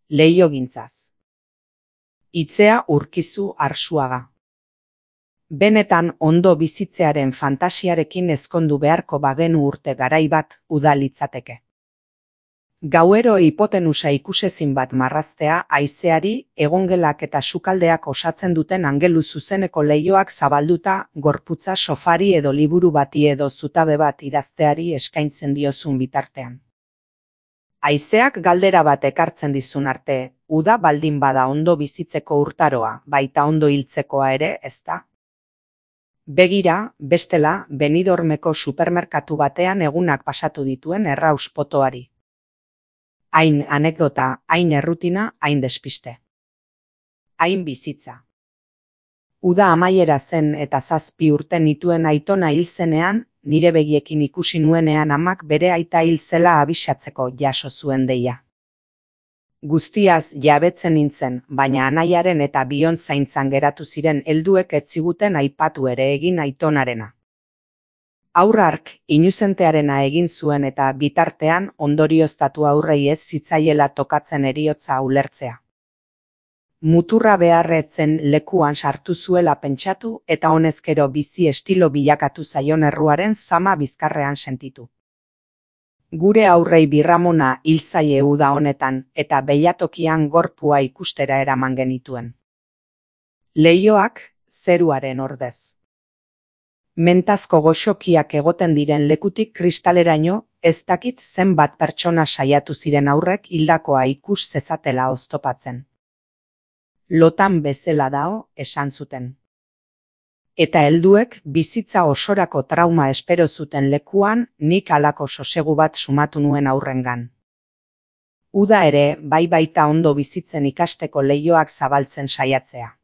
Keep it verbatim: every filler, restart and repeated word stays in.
Leiogintzaz. Itzea Urkizu Arsuaga. Benetan ondo bizitzearen fantasiarekin ezkondu beharko bagenu urte garai bat uda litzateke. Gauero hipotenusa ikusezin bat marraztea haizeari, egongelak eta sukaldeak osatzen duten angelu zuzeneko leihoak zabalduta, gorputza sofari edo liburu bati edo zutabe bat idazteari eskaintzen diozun bitartean. Haizeak galdera bat ekartzen dizun arte, uda baldin bada ondo bizitzeko urtaroa, baita ondo hiltzekoa ere, ezta? Begira, bestela, Benidormeko supermerkatu batean egunak pasatu dituen erraus potoari. Hain anekdota, hain errutina, hain despiste. Hain bizitza. Uda amaiera zen eta zazpi urte nituen aitona hil zenean, nire begiekin ikusi nuenean amak bere aita hil zela abisatzeko jaso zuen deia. Guztiaz jabetzen nintzen, baina anaiaren eta bion zaintzan geratu ziren helduek ez ziguten aipatu ere egin aitonarena. Aurrark inuzentearena egin zuen eta bitartean ondorioztatu aurrei ez zitzaiela tokatzen heriotza ulertzea. Muturra beharretzen lekuan sartu zuela pentsatu eta honezkero bizi estilo bilakatu zaion erruaren zama bizkarrean sentitu. Gure aurrei birramona hil zaie uda honetan eta beilatokian gorpua ikustera eraman genituen. Leihoak zeruaren ordez. Mentazko goxokiak egoten diren lekutik kristaleraino, ez dakit zenbat pertsona saiatu ziren aurrek hildakoa ikus zezatela oztopatzen. Lotan bezala dao, esan zuten. Eta helduek bizitza osorako trauma espero zuten lekuan nik halako sosegu bat sumatu nuen aurrengan. Uda ere, bai baita ondo bizitzen ikasteko leihoak zabaltzen saiatzea.